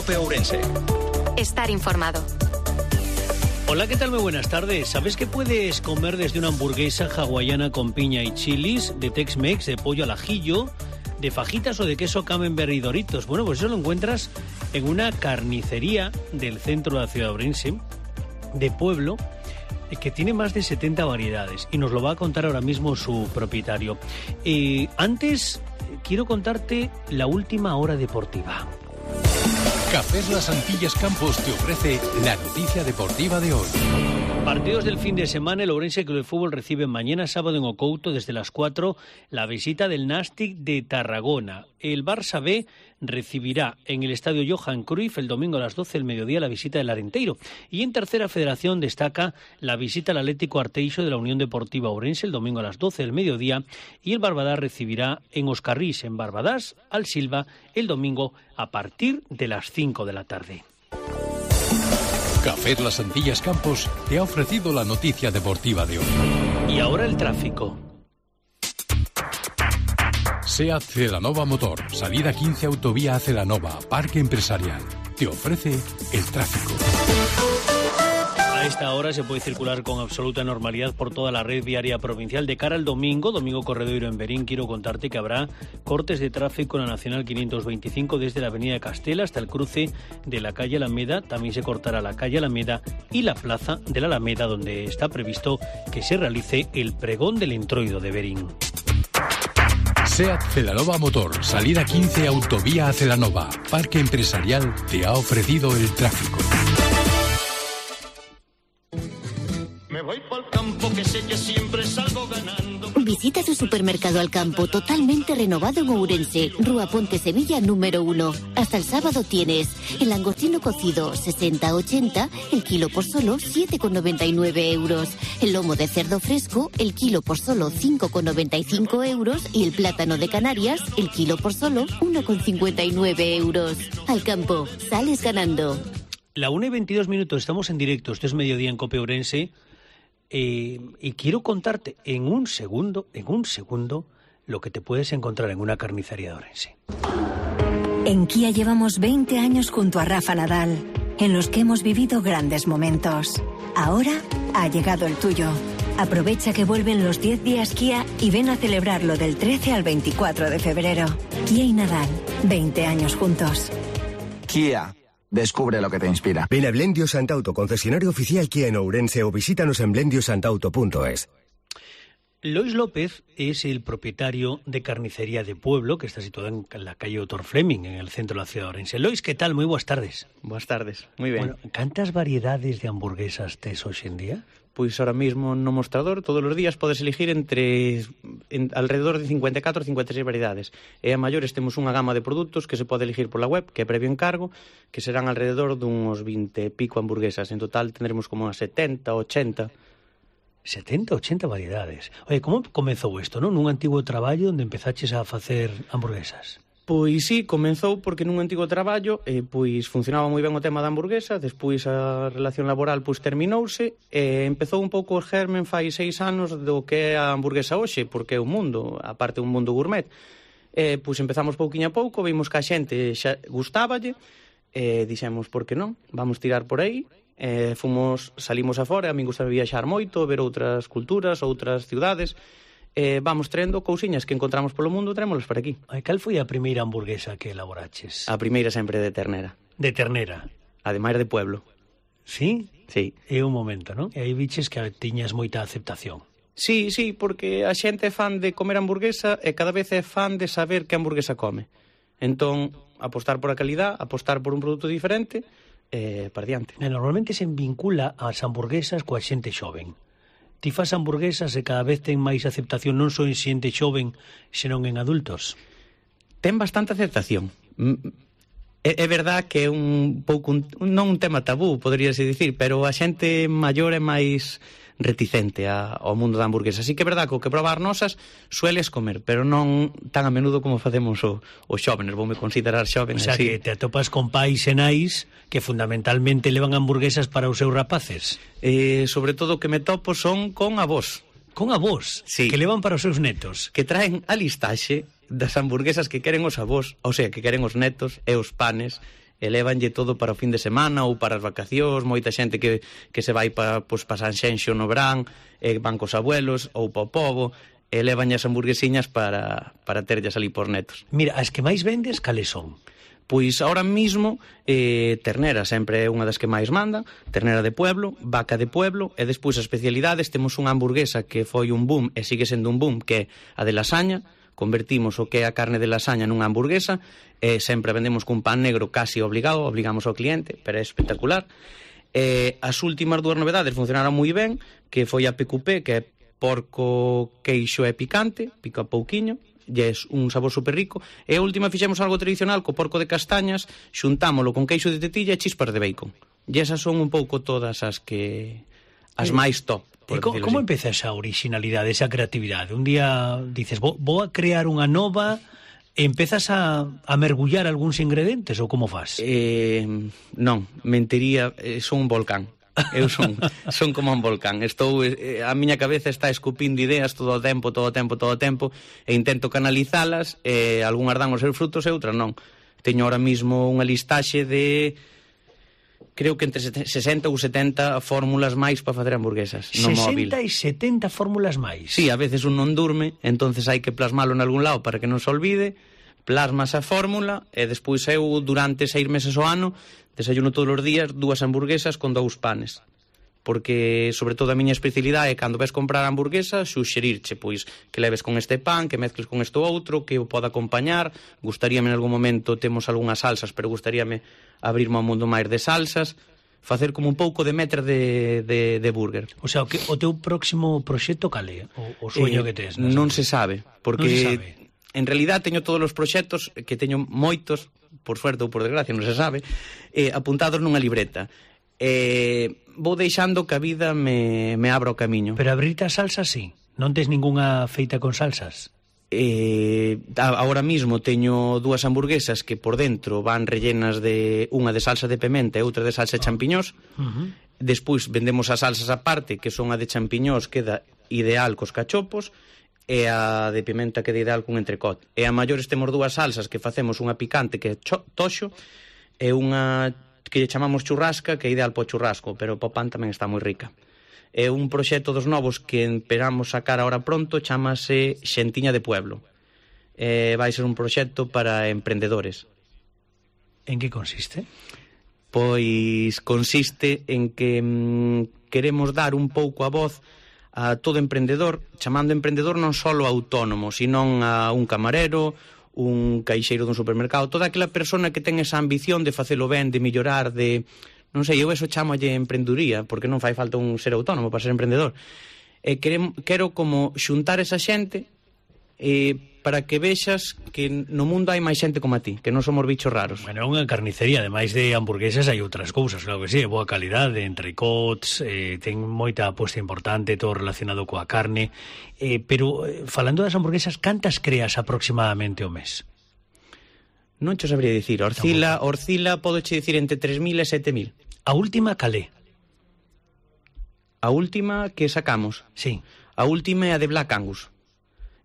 COPE Ourense. Estar informado. Hola, ¿qué tal? Muy buenas tardes. ¿Sabes que puedes comer desde una hamburguesa hawaiana con piña y chilis, de Tex-Mex, de pollo al ajillo, de fajitas o de queso camembert y Doritos? Bueno, pues eso lo encuentras en una carnicería del centro de la ciudad de Ourense, de Pueblo, que tiene más de 70 variedades y nos lo va a contar ahora mismo su propietario. Antes, quiero contarte la última hora deportiva. Cafés Las Antillas Campos te ofrece la noticia deportiva de hoy. Partidos del fin de semana. El Ourense Club de Fútbol recibe mañana sábado en Ocouto desde las 4 la visita del Nàstic de Tarragona. El Barça B recibirá en el estadio Johan Cruyff el domingo a las 12 del mediodía la visita del Arenteiro. Y en tercera federación destaca la visita al Atlético Arteixo de la Unión Deportiva Ourense el domingo a las 12 del mediodía, y el Barbadás recibirá en Oscarrís, en Barbadás, al Silva el domingo a partir de las 5 de la tarde. Cafés Las Antillas Campos te ha ofrecido la noticia deportiva de hoy. Y ahora el tráfico. SEAT Celanova Motor, salida 15 autovía a Celanova, Parque Empresarial. Te ofrece el tráfico. A esta hora se puede circular con absoluta normalidad por toda la red viaria provincial. De cara al domingo corredoiro en Berín, quiero contarte que habrá cortes de tráfico en la Nacional 525 desde la avenida Castela hasta el cruce de la calle Alameda. También se cortará la calle Alameda y la plaza de la Alameda, donde está previsto que se realice el pregón del Entroido de Berín. SEAT Celanova Motor, salida 15 autovía a Celanova, Parque Empresarial, te ha ofrecido el tráfico. Me voy pa'l campo, que sé que siempre salgo ganando. Visita tu supermercado Alcampo, totalmente renovado en Ourense, Rúa Ponte Sevilla número 1. Hasta el sábado tienes el langostino cocido 60-80, el kilo por solo 7,99 euros. El lomo de cerdo fresco, el kilo por solo 5,95 euros. Y el plátano de Canarias, el kilo por solo 1,59 euros. Alcampo, sales ganando. La 1:22, estamos en directo, esto es Mediodía en COPE Ourense. Y quiero contarte en un segundo, lo que te puedes encontrar en una carnicería de Ourense. En Kia llevamos 20 años junto a Rafa Nadal, en los que hemos vivido grandes momentos. Ahora ha llegado el tuyo. Aprovecha que vuelven los 10 días Kia y ven a celebrarlo del 13 al 24 de febrero. Kia y Nadal, 20 años juntos. Kia. Descubre lo que te inspira. Ven a Blendio Santauto, concesionario oficial Kia en Ourense, o visítanos en blendiosantauto.es. Lois López es el propietario de Carnicería de Pueblo, que está situada en la calle Dr. Fleming, en el centro de la ciudad de Ourense. Lois, ¿qué tal? Muy buenas tardes. Buenas tardes, muy ben. Bueno, ¿cantas variedades de hamburguesas tes hoxe en día? Pois ahora mismo no mostrador todos os días podes elegir alrededor de 54 ou 56 variedades. E a maiores temos unha gama de produtos que se pode elegir pola web, que é previo encargo, que serán alrededor dunhos 20 e pico hamburguesas. En total tendremos como unas 70, 80... 70, 80 variedades. Oye, como comezou isto, non? Nun antigo traballo onde empezaches a facer hamburguesas. Pois sí, comenzou porque nun antigo traballo pois funcionaba moi ben o tema da hamburguesa, despois a relación laboral pois terminouse e empezou un pouco o germen fai 6 anos do que é a hamburguesa hoxe, porque é un mundo, aparte un mundo gourmet. Pois empezamos pouquiño a pouco, vimos que a xente xa gustáballe e dixemos, por que non? Vamos tirar por aí. Salimos afora, a min gustaba viaxar moito, ver outras culturas, outras ciudades. Vamos traendo cousiñas que encontramos polo mundo, traémolas para aquí. Cal foi a primeira hamburguesa que elaboraches? A primeira sempre de ternera. De ternera? Ademais de Pueblo. Sí? Sí. É un momento, non? E aí viches que tiñas moita aceptación. Sí, porque a xente é fan de comer hamburguesa e cada vez é fan de saber que hamburguesa come. Entón, apostar por a calidad, apostar por un produto diferente, para diante. Normalmente se vincula as hamburguesas coa xente xoven. Ti fas hamburguesas e cada vez ten máis aceptación non só en xente xoven, senón en adultos. Ten bastante aceptación. É verdad que é un pouco non un tema tabú, poderíase dicir, pero a xente maior é máis reticente ao mundo da hamburguesa. Así que é verdad que o que probar nosas sueles comer, pero non tan a menudo como facemos os xóvenes. Voume considerar xoven. O sea, así que te atopas con pais e nais que fundamentalmente levan hamburguesas para os seus rapaces. Sobre todo o que me topo son con avós. Con avós? Sí. Que levan para os seus netos? Que traen a listaxe das hamburguesas que queren os avós, ou sea, que queren os netos e os panes e lévanlle todo para o fin de semana ou para as vacacións, moita xente que se vai para San Xenxo no verán, van cos abuelos ou pa o pobo, e lévanlle as hamburguesiñas para terllas ali por netos. Mira, as que máis vendes, cales son? Pois ahora mismo ternera sempre é unha das que máis manda, ternera de pueblo, vaca de pueblo, e despois as especialidades temos unha hamburguesa que foi un boom e sigue sendo un boom, que é a de lasaña. Convertimos o que é a carne de lasaña nunha hamburguesa e sempre vendemos cun pan negro casi obligado, obligamos ao cliente, pero é espectacular. As últimas 2 novedades funcionaron moi ben, que foi a PQP, que é porco, queixo e picante, pica pouquiño, e é un sabor super rico, e a última fixemos algo tradicional co porco de castañas, xuntámolo con queixo de tetilla e chispas de bacon. E esas son un pouco todas as máis top. E como empeza esa originalidade, esa creatividade? Un día dices, vou a crear unha nova, e empezas a mergullar algúns ingredientes, ou como faz? Non, mentiría, son un volcán. Eu son como un volcán. A miña cabeza está escupindo ideas todo o tempo, e intento canalizalas, e algunhas dan os seus frutos e outras non. Teño ahora mismo unha listaxe de... creo que entre 60 ou 70 fórmulas máis para facer hamburguesas no móvil. 60 e 70 fórmulas máis? Sí, a veces un non durme, entonces hai que plasmalo en algún lado para que non se olvide, plasmas a fórmula, e despois eu durante 6 meses ao ano desayuno todos os días 2 hamburguesas con 2 panes. Porque, sobre todo, a miña especialidade é cando ves comprar hamburguesa, suxerirche, pois, que leves con este pan, que mezcles con este outro, que o poda acompañar. Gustaríame en algún momento, temos algunhas salsas, pero gustaríame abrirme ao mundo máis de salsas, facer como un pouco de metre de burger. O sea, o teu próximo proxecto cal é? O sueño que tes? Non se sabe, porque en realidad teño todos os proxectos, que teño moitos, por suerte ou por desgracia, non se sabe, apuntados nunha libreta. Vou deixando que a vida me abra o camiño. Pero abrirte a salsas, sí? Non tes ningunha feita con salsas? Ahora mismo teño 2 hamburguesas que por dentro van rellenas de unha de salsa de pementa e outra de salsa de champiñós. Despois vendemos as salsas aparte, que son a de champiñós, queda ideal cos cachopos, e a de pimenta queda ideal cun entrecot. E a maiores temos 2 salsas que facemos, unha picante que é toxo e unha que lle chamamos churrasca, que é ideal po churrasco, pero po pan tamén está moi rica. É un proxecto dos novos que esperamos sacar ahora pronto, chamase Xentiña de Pueblo. Vai ser un proxecto para emprendedores. En que consiste? Pois consiste en que queremos dar un pouco a voz a todo emprendedor, chamando emprendedor non só autónomo, sino a un camarero, un caixeiro dun supermercado, toda aquela persona que ten esa ambición de facelo ben, de mellorar, de... non sei, eu eso chamolle emprenduría, porque non fai falta un ser autónomo para ser emprendedor. Quero como xuntar esa xente para que vexas que no mundo hai máis xente como a ti, que non somos bichos raros. Bueno, é unha carnicería, ademais de hamburguesas hai outras cousas, claro que sí, boa calidade, entrecots, ten moita aposta importante, todo relacionado coa carne, pero falando das hamburguesas, cantas creas aproximadamente ao mes? Non cho sabría dicir, Orcila podoche dicir entre 3.000 e 7.000. A última calé? A última que sacamos? Sí. A última é a de Black Angus.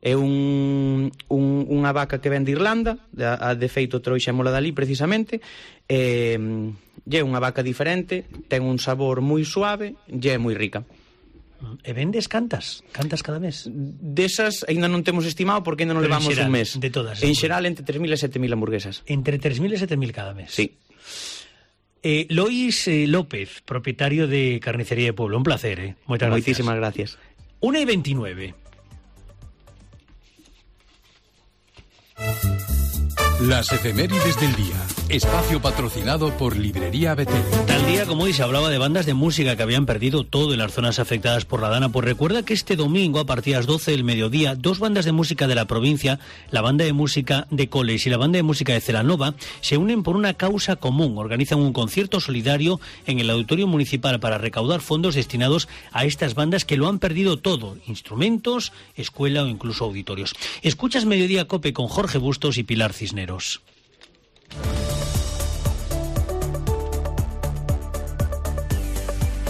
É unha vaca que ven de Irlanda, de feito trouxémola dali precisamente, e é unha vaca diferente, ten un sabor moi suave e é moi rica. E vendes cantas? Cantas cada mes? Desas ainda non temos estimado porque ainda non levamos un mes. De todas. En xeral entre 3.000 e 7.000 hamburguesas. Entre 3.000 e 7.000 cada mes. Sí. Lois López, propietario de Carnicería de Pueblo, un placer, moitas gracias. Moitísimas gracias. 1:29. Las efemérides del día. Espacio patrocinado por Librería Betel. Tal día como hoy se hablaba de bandas de música que habían perdido todo en las zonas afectadas por la Dana. Pues recuerda que este domingo, a partir de las 12 del mediodía, 2 bandas de música de la provincia, la banda de música de Coles y la banda de música de Celanova, se unen por una causa común. Organizan un concierto solidario en el Auditorio Municipal para recaudar fondos destinados a estas bandas que lo han perdido todo: instrumentos, escuela o incluso auditorios. Escuchas Mediodía Cope con Jorge Bustos y Pilar Cisneros.